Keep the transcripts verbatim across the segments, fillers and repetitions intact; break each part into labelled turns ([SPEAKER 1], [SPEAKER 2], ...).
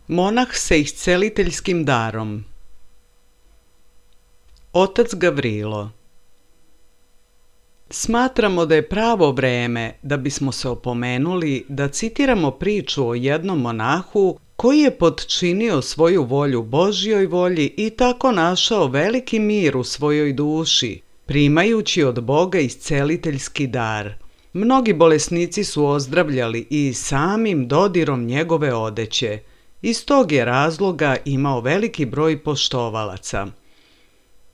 [SPEAKER 1] Monah sa isceliteljskim darom. Otac Gavrilo. Smatramo da je pravo vreme da bismo se opomenuli da citiramo priču o jednom monahu koji je potčinio svoju volju Božjoj volji i tako našao veliki mir u svojoj duši, primajući od Boga isceliteljski dar. Mnogi bolesnici su ozdravljali i samim dodirom njegove odeće. Iz tog je razloga imao veliki broj poštovalaca.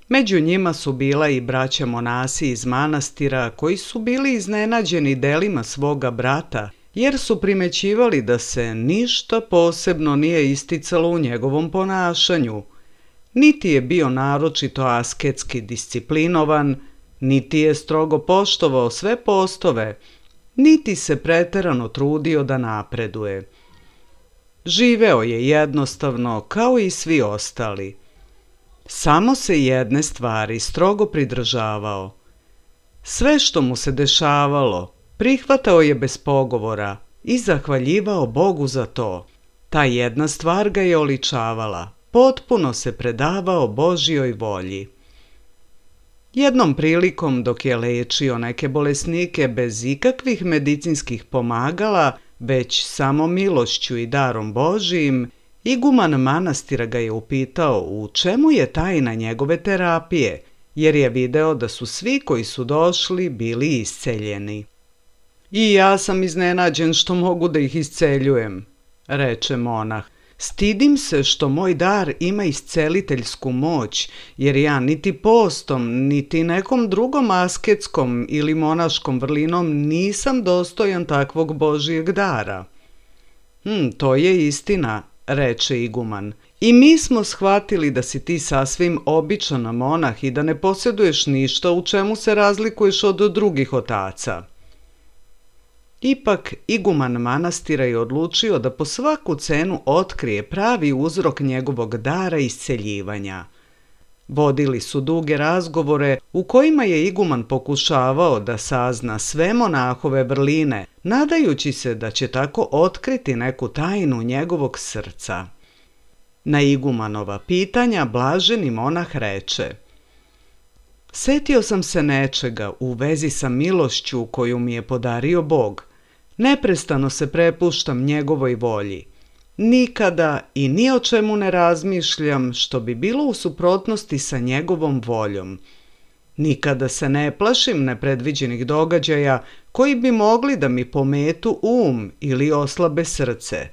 [SPEAKER 1] Među njima su bila i braća monasi iz manastira koji su bili iznenađeni delima svoga brata, jer su primećivali da se ništa posebno nije isticalo u njegovom ponašanju. Niti je bio naročito asketski disciplinovan, niti je strogo poštovao sve postove, niti se preterano trudio da napreduje. Živeo je jednostavno kao i svi ostali. Samo se jedne stvari strogo pridržavao. Sve što mu se dešavalo, prihvatao je bez pogovora i zahvaljivao Bogu za to. Ta jedna stvar ga je oličavala, potpuno se predavao Božjoj volji. Jednom prilikom dok je lečio neke bolesnike bez ikakvih medicinskih pomagala, već samo milošću i darom Božijim, iguman manastira ga je upitao u čemu je tajna njegove terapije, jer je video da su svi koji su došli bili isceljeni. I ja sam iznenađen što mogu da ih isceljujem, reče monah. Stidim se što moj dar ima isceliteljsku moć, jer ja niti postom, niti nekom drugom asketskom ili monaškom vrlinom nisam dostojan takvog Božijeg dara. Hm, to je istina, reče iguman. I mi smo shvatili da si ti sasvim običan monah i da ne posjeduješ ništa u čemu se razlikuješ od drugih otaca. Ipak, iguman manastira je odlučio da po svaku cenu otkrije pravi uzrok njegovog dara isceljivanja. Vodili su duge razgovore u kojima je iguman pokušavao da sazna sve monahove vrline, nadajući se da će tako otkriti neku tajnu njegovog srca. Na igumanova pitanja blaženi monah reče: Setio sam se nečega u vezi sa milošću koju mi je podario Bog. Neprestano se prepuštam njegovoj volji. Nikada i ni o čemu ne razmišljam što bi bilo u suprotnosti sa njegovom voljom. Nikada se ne plašim nepredviđenih događaja koji bi mogli da mi pometu um ili oslabe srce.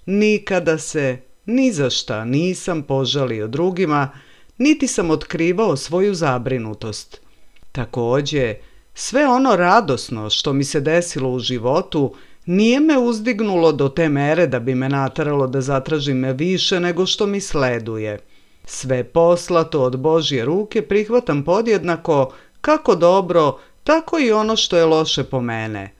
[SPEAKER 1] Nikada se ni za šta nisam požalio drugima, niti sam otkrivao svoju zabrinutost. Takođe, sve ono radosno što mi se desilo u životu nije me uzdignulo do te mere da bi me nateralo da zatražim više nego što mi sleduje. Sve poslato od Božje ruke prihvatam podjednako, kako dobro, tako i ono što je loše po mene.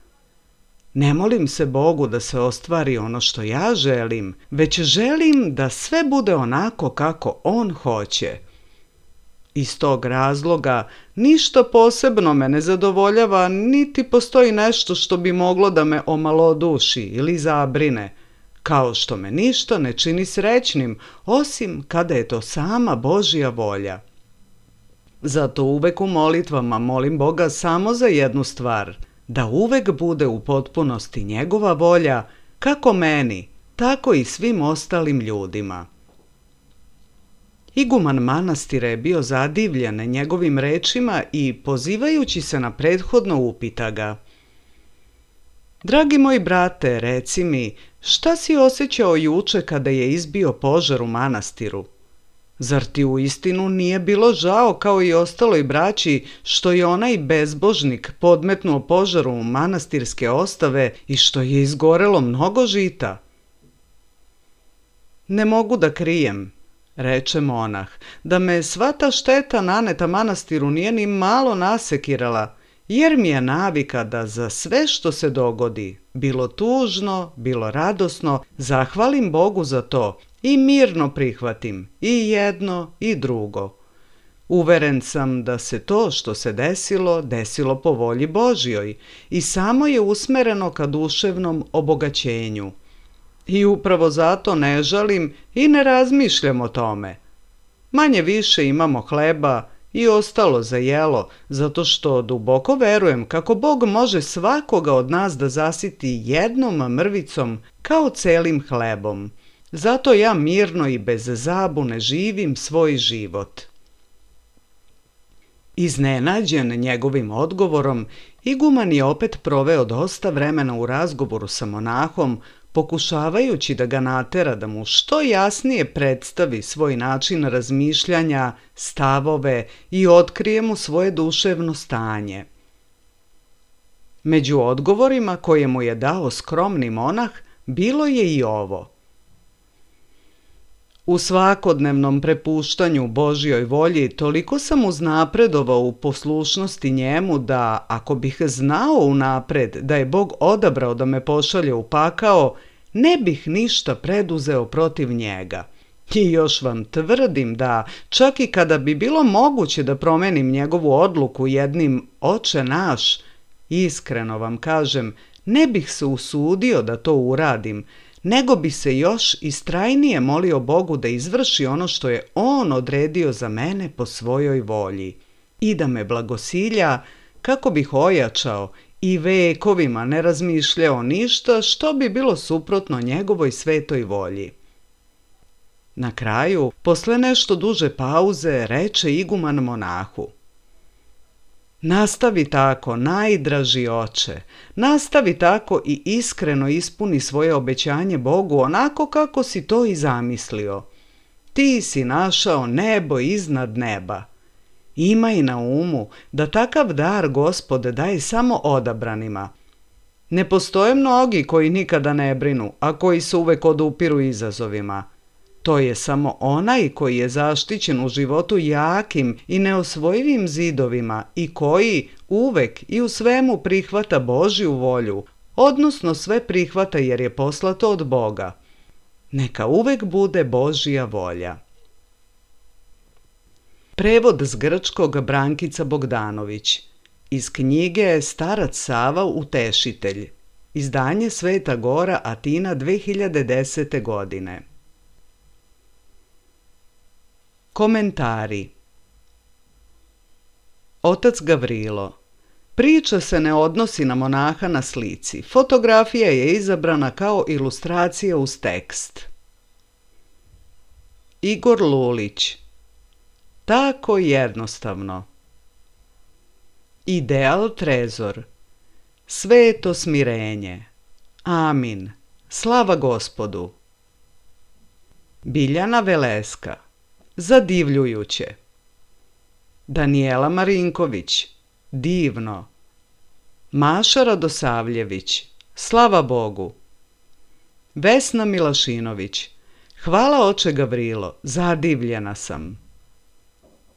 [SPEAKER 1] Ne molim se Bogu da se ostvari ono što ja želim, već želim da sve bude onako kako On hoće. Iz tog razloga ništa posebno me ne zadovoljava, niti postoji nešto što bi moglo da me omaloduši ili zabrine, kao što me ništa ne čini srećnim, osim kada je to sama Božja volja. Zato uvek u molitvama molim Boga samo za jednu stvar, da uvek bude u potpunosti njegova volja, kako meni, tako i svim ostalim ljudima. Iguman manastira je bio zadivljen njegovim rečima i pozivajući se na prethodno upita ga: Dragi moj brate, reci mi, šta si osjećao juče kada je izbio požar u manastiru? Zar ti uistinu nije bilo žao kao i ostaloj braći što je onaj bezbožnik podmetnuo požaru u manastirske ostave i što je izgorelo mnogo žita? Ne mogu da krijem, reče monah, da me sva ta šteta naneta manastiru nije ni malo nasekirala, jer mi je navika da za sve što se dogodi, bilo tužno, bilo radosno, zahvalim Bogu za to i mirno prihvatim i jedno i drugo. Uveren sam da se to što se desilo, desilo po volji Božjoj i samo je usmereno ka duševnom obogaćenju. I upravo zato ne žalim i ne razmišljam o tome. Manje više imamo hleba i ostalo za jelo, zato što duboko verujem kako Bog može svakoga od nas da zasiti jednom mrvicom kao celim hlebom. Zato ja mirno i bez zabune živim svoj život. Iznenađen njegovim odgovorom, iguman je opet proveo dosta vremena u razgovoru sa monahom, pokušavajući da ga natera da mu što jasnije predstavi svoj način razmišljanja, stavove i otkrije mu svoje duševno stanje. Među odgovorima koje mu je dao skromni monah bilo je i ovo: U svakodnevnom prepuštanju Božjoj volji toliko sam uznapredovao u poslušnosti njemu da, ako bih znao unapred da je Bog odabrao da me pošalje u pakao, ne bih ništa preduzeo protiv njega. I još vam tvrdim da, čak i kada bi bilo moguće da promenim njegovu odluku jednim Oče naš, iskreno vam kažem, ne bih se usudio da to uradim, nego bi se još istrajnije molio Bogu da izvrši ono što je On odredio za mene po svojoj volji i da me blagosilja kako bih ojačao i vekovima ne razmišljao ništa što bi bilo suprotno njegovoj svetoj volji. Na kraju, posle nešto duže pauze, reče iguman monahu: Nastavi tako, najdraži oče, nastavi tako i iskreno ispuni svoje obećanje Bogu onako kako si to i zamislio. Ti si našao nebo iznad neba. Imaj na umu da takav dar Gospod daje samo odabranima. Ne postoje mnogi koji nikada ne brinu, a koji se uvek odupiru izazovima. To je samo onaj koji je zaštićen u životu jakim i neosvojivim zidovima i koji uvek i u svemu prihvata Božju volju, odnosno sve prihvata jer je poslato od Boga. Neka uvek bude Božja volja. Prevod s grčkog Brankica Bogdanović. Iz knjige Starac Sava Utešitelj. Izdanje Sveta Gora, Atina, dve hiljade desete. godine. Komentari. Otac Gavrilo. Priča se ne odnosi na monaha na slici. Fotografija je izabrana kao ilustracija uz tekst. Igor Lulić. Tako jednostavno. Ideal trezor. Sveto smirenje. Amin. Slava Gospodu. Biljana Veleska. Zadivljujuće. Danijela Marinković. Divno. Maša Radosavljević. Slava Bogu. Vesna Milašinović. Hvala oče Gavrilo, zadivljena sam.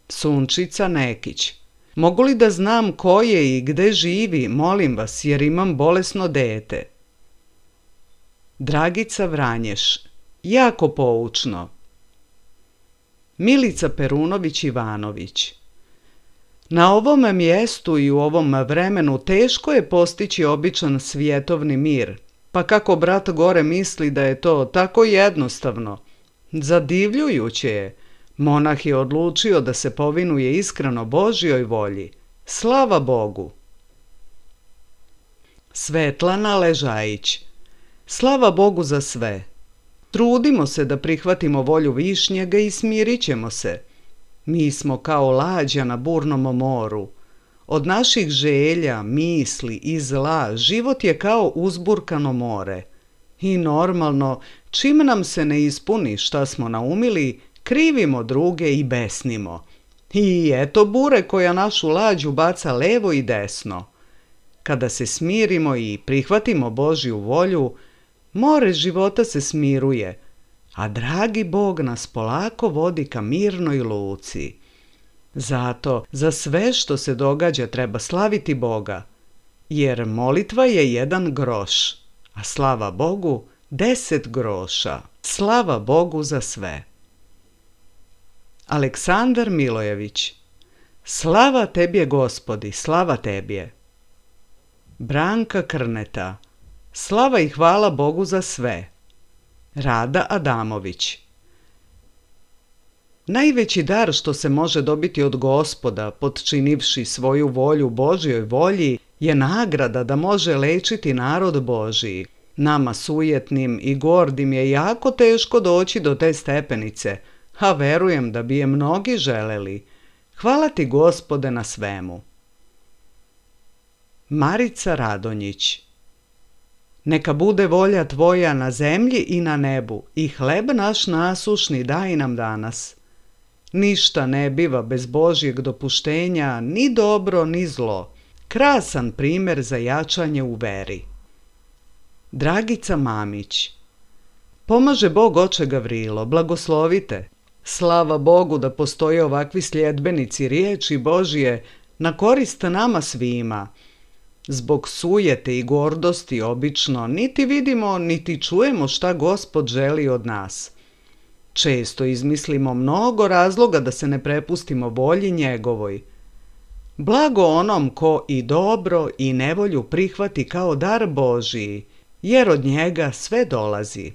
[SPEAKER 1] Sunčica Nekić. Mogu li da znam ko je i gde živi, molim vas, jer imam bolesno dete. Dragica Vranješ. Jako poučno. Milica Perunović Ivanović. Na ovom mjestu i u ovom vremenu teško je postići običan svjetovni mir, pa kako brat gore misli da je to tako jednostavno. Zadivljujuće je. Monah je odlučio da se povinuje iskreno Božjoj volji. Slava Bogu. Svetlana Ležajić. Slava Bogu za sve. Trudimo se da prihvatimo volju Višnjega i smirit ćemo se. Mi smo kao lađa na burnom moru. Od naših želja, misli i zla život je kao uzburkano more. I normalno, čim nam se ne ispuni šta smo naumili, krivimo druge i besnimo. I eto bure koja našu lađu baca levo i desno. Kada se smirimo i prihvatimo Božju volju, more života se smiruje, a dragi Bog nas polako vodi ka mirnoj luci. Zato za sve što se događa treba slaviti Boga, jer molitva je jedan groš, a slava Bogu deset groša. Slava Bogu za sve. Aleksandar Milojević. Slava Tebje Gospodi, slava Tebje. Branka Krneta. Slava i hvala Bogu za sve. Rada Adamović. Najveći dar što se može dobiti od Gospoda, potčinivši svoju volju Božjoj volji, je nagrada da može lečiti narod Božiji. Nama sujetnim i gordim je jako teško doći do te stepenice, a verujem da bi je mnogi želeli. Hvala ti, Gospode, na svemu. Marica Radonjić. Neka bude volja tvoja na zemlji i na nebu, i hleb naš nasušni daj nam danas. Ništa ne biva bez Božjeg dopuštenja, ni dobro, ni zlo. Krasan primjer za jačanje u veri. Dragica Mamić. Pomaže Bog oče Gavrilo, blagoslovite. Slava Bogu da postoje ovakvi sljedbenici riječi Božje na korist nama svima. Zbog sujete i gordosti obično niti vidimo niti čujemo šta Gospod želi od nas. Često izmislimo mnogo razloga da se ne prepustimo volji njegovoj. Blago onom ko i dobro i nevolju prihvati kao dar Božiji, jer od njega sve dolazi.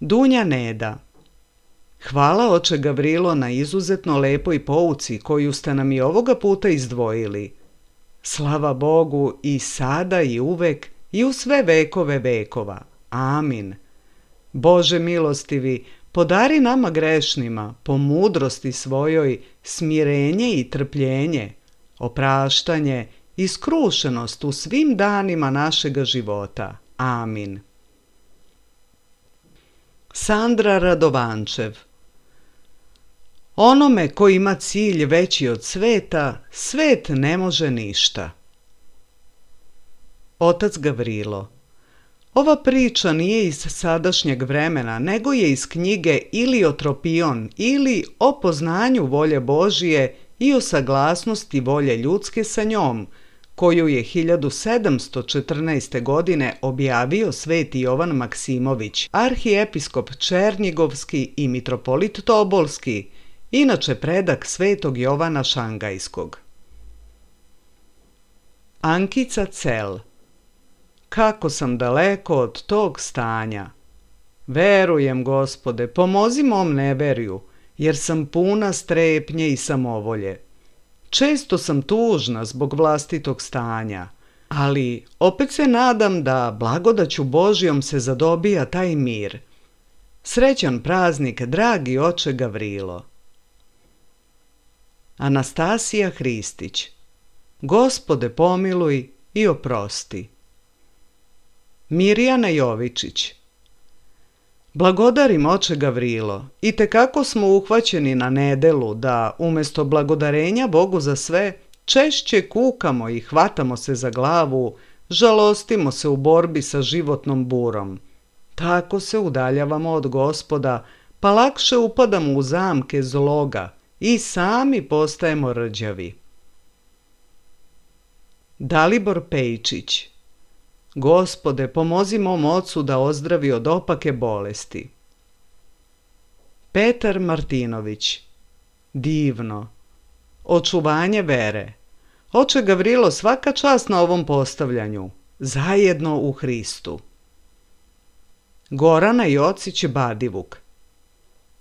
[SPEAKER 1] Dunja Neda. Hvala oče Gavrilo na izuzetno lepoj pouci koju ste nam i ovoga puta izdvojili. Slava Bogu i sada i uvek i u sve vekove vekova. Amin. Bože milostivi, podari nama grešnima, po mudrosti svojoj, smirenje i trpljenje, opraštanje i skrušenost u svim danima našega života. Amin. Sandra Radovančev. Onome ko ima cilj veći od sveta, svet ne može ništa. Otac Gavrilo. Ova priča nije iz sadašnjeg vremena, nego je iz knjige Iliotropion ili o poznanju volje Božije i o saglasnosti volje ljudske sa njom, koju je hiljadu sedamsto četrnaeste. godine objavio sveti Jovan Maksimović, arhiepiskop Černjigovski i mitropolit Tobolski, inače predak svetog Jovana Šangajskog. Ankica Cel. Kako sam daleko od tog stanja. Verujem, Gospode, pomozi mom neverju, jer sam puna strepnje i samovolje. Često sam tužna zbog vlastitog stanja, ali opet se nadam da blagodaću Božjom se zadobija taj mir. Srećan praznik, dragi oče Gavrilo. Anastasija Hristić. Gospode pomiluj i oprosti. Mirjana Jovičić. Blagodarim oče Gavrilo, i tekako smo uhvaćeni na nedelu da umjesto blagodarenja Bogu za sve, češće kukamo i hvatamo se za glavu, žalostimo se u borbi sa životnom burom. Tako se udaljavamo od Gospoda, pa lakše upadamo u zamke zloga i sami postajemo rđavi. Dalibor Pejčić. Gospode, pomozi mom ocu da ozdravi od opake bolesti. Petar Martinović. Divno. Očuvanje vere. Oče Gavrilo, svaka čast na ovom postavljanju. Zajedno u Hristu. Gorana Jocić Badivuk.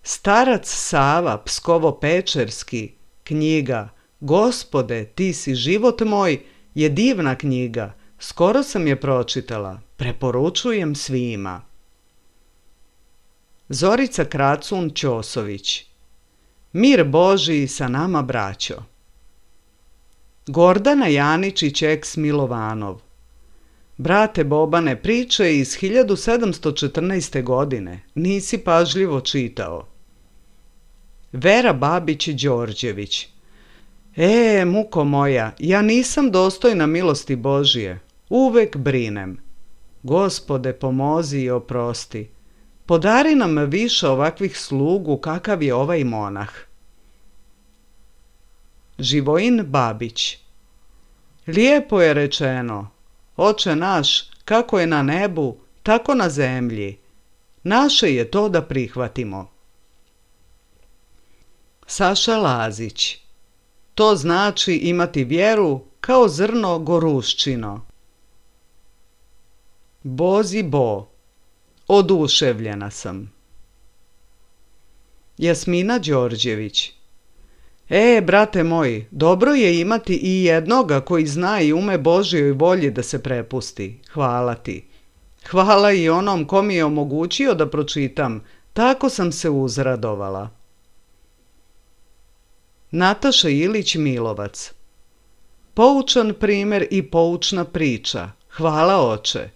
[SPEAKER 1] Starac Sava Pskovo-Pečerski. Knjiga Gospode, ti si život moj je divna knjiga. Skoro sam je pročitala. Preporučujem svima. Zorica Kracun Ćosović. Mir Božiji sa nama, braćo. Gordana Janičić eks Milovanov. Brate Bobane, priče iz hiljadu sedamsto četrnaeste. godine. Nisi pažljivo čitao. Vera Babić Đorđević. E, muko moja, ja nisam dostojna milosti Božije. Uvek brinem. Gospode, pomozi i oprosti. Podari nam više ovakvih slugu kakav je ovaj monah. Živojin Babić. Lijepo je rečeno. Oče naš, kako je na nebu, tako na zemlji. Naše je to da prihvatimo. Saša Lazić. To znači imati vjeru kao zrno goruščino. Bozi Bo. Oduševljena sam. Jasmina Đorđević. E, brate moj, dobro je imati i jednoga koji zna i ume Božjoj volji da se prepusti. Hvala ti. Hvala i onom ko mi je omogućio da pročitam. Tako sam se uzradovala. Nataša Ilić Milovac. Poučan primjer i poučna priča. Hvala oče.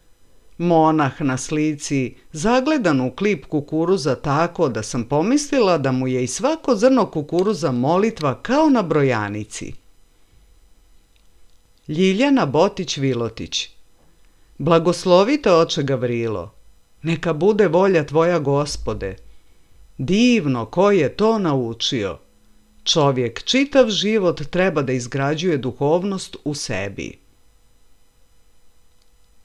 [SPEAKER 1] Monah na slici, zagledan u klip kukuruza tako da sam pomislila da mu je i svako zrno kukuruza molitva kao na brojanici. Ljiljana Botić-Vilotić. Blagoslovite oče Gavrilo. Neka bude volja tvoja, Gospode. Divno ko je to naučio. Čovjek čitav život treba da izgrađuje duhovnost u sebi.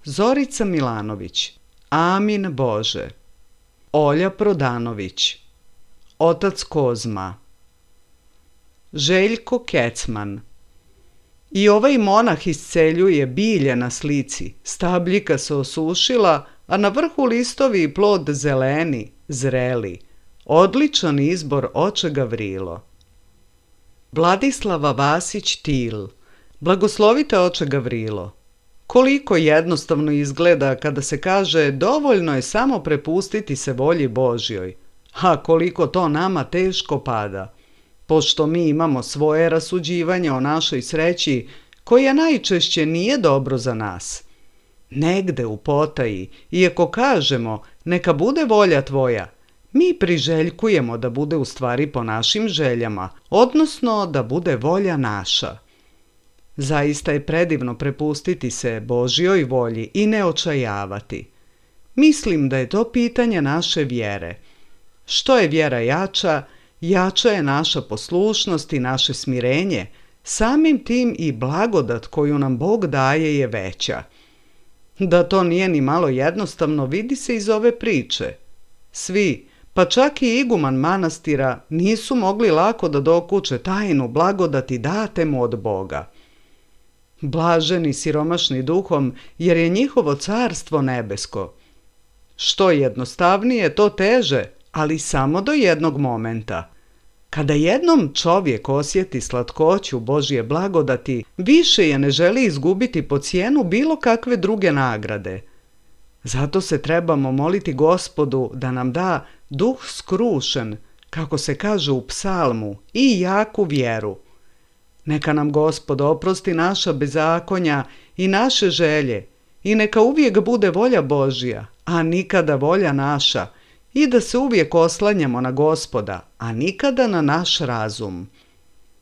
[SPEAKER 1] Zorica Milanović. Amin Bože. Olja Prodanović. Otac Kozma. Željko Kecman. I ovaj monah isceljuje bilje na slici. Stabljika se osušila, a na vrhu listovi i plod zeleni, zreli. Odličan izbor oče Gavrilo. Vladislava Vasić-Til. Blagoslovite oče Gavrilo. Koliko jednostavno izgleda kada se kaže dovoljno je samo prepustiti se volji Božjoj, a koliko to nama teško pada, pošto mi imamo svoje rasuđivanje o našoj sreći koja najčešće nije dobro za nas. Negde u potaji, iako kažemo neka bude volja tvoja, mi priželjkujemo da bude u stvari po našim željama, odnosno da bude volja naša. Zaista je predivno prepustiti se Božjoj volji i ne očajavati. Mislim da je to pitanje naše vjere. Što je vjera jača, jača je naša poslušnost i naše smirenje, samim tim i blagodat koju nam Bog daje je veća. Da to nije ni malo jednostavno vidi se iz ove priče. Svi, pa čak i iguman manastira, nisu mogli lako da dokuče tajnu blagodati date mu od Boga. Blaženi siromašni duhom, jer je njihovo carstvo nebesko. Što jednostavnije, to teže, ali samo do jednog momenta. Kada jednom čovjek osjeti slatkoću Božje blagodati, više je ne želi izgubiti po cijenu bilo kakve druge nagrade. Zato se trebamo moliti Gospodu da nam da duh skrušen, kako se kaže u psalmu, i jaku vjeru. Neka nam Gospod oprosti naša bezakonja i naše želje i neka uvijek bude volja Božja, a nikada volja naša, i da se uvijek oslanjamo na Gospoda, a nikada na naš razum.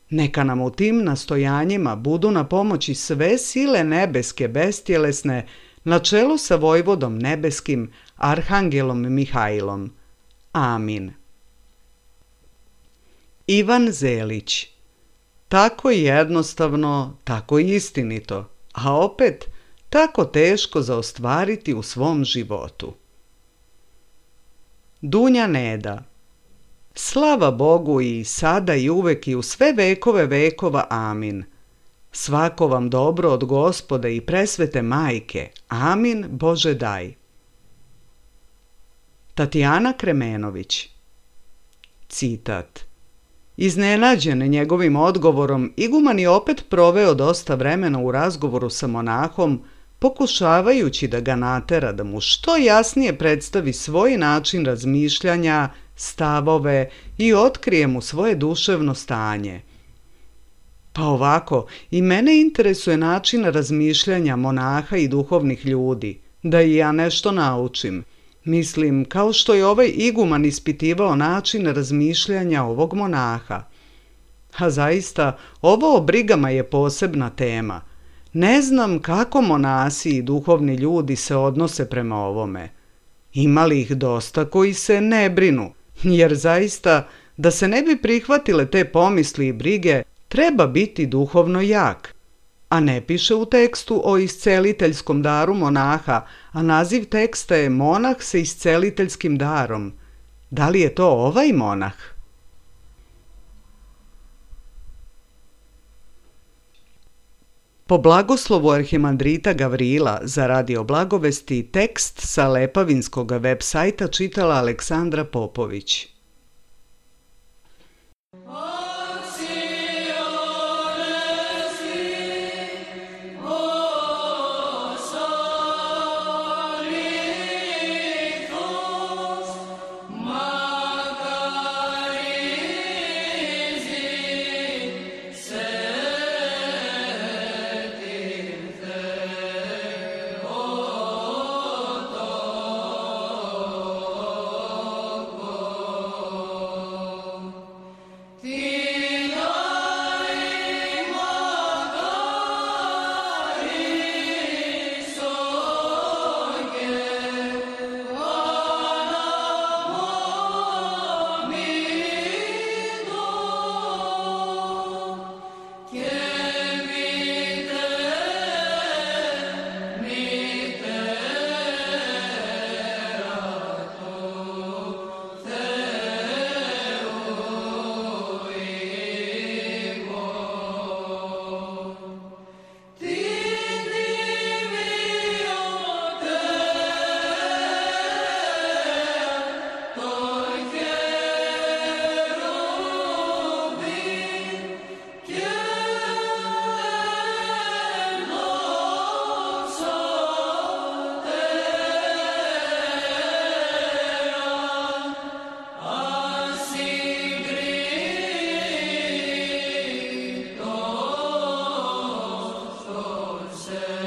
[SPEAKER 1] Neka nam u tim nastojanjima budu na pomoći sve sile nebeske bestjelesne na čelu sa vojvodom nebeskim, arhangelom Mihajlom. Amin. Ivan Zelić. Tako jednostavno, tako istinito, a opet tako teško za ostvariti u svom životu. Dunja Neda. Slava Bogu i sada i uvek i u sve vekove vekova. Amin. Svako vam dobro od Gospoda i presvete majke. Amin, Bože daj. Tatjana Kremenović. Citat. Iznenađen njegovim odgovorom, iguman je opet proveo dosta vremena u razgovoru sa monahom, pokušavajući da ga natera da mu što jasnije predstavi svoj način razmišljanja, stavove i otkrije mu svoje duševno stanje. Pa ovako, i mene interesuje način razmišljanja monaha i duhovnih ljudi, da i ja nešto naučim. Mislim, kao što je ovaj iguman ispitivao način razmišljanja ovog monaha. A zaista, ovo o brigama je posebna tema. Ne znam kako monasi i duhovni ljudi se odnose prema ovome. Ima li ih dosta koji se ne brinu, jer zaista, da se ne bi prihvatile te pomisli i brige, treba biti duhovno jak. A ne piše u tekstu o isceliteljskom daru monaha, a naziv teksta je Monah sa isceliteljskim darom. Da li je to ovaj monah? Po blagoslovu arhimandrita Gavrila za Radio Blagovesti tekst sa lepavinskog web sajta čitala Aleksandra Popović.
[SPEAKER 2] Say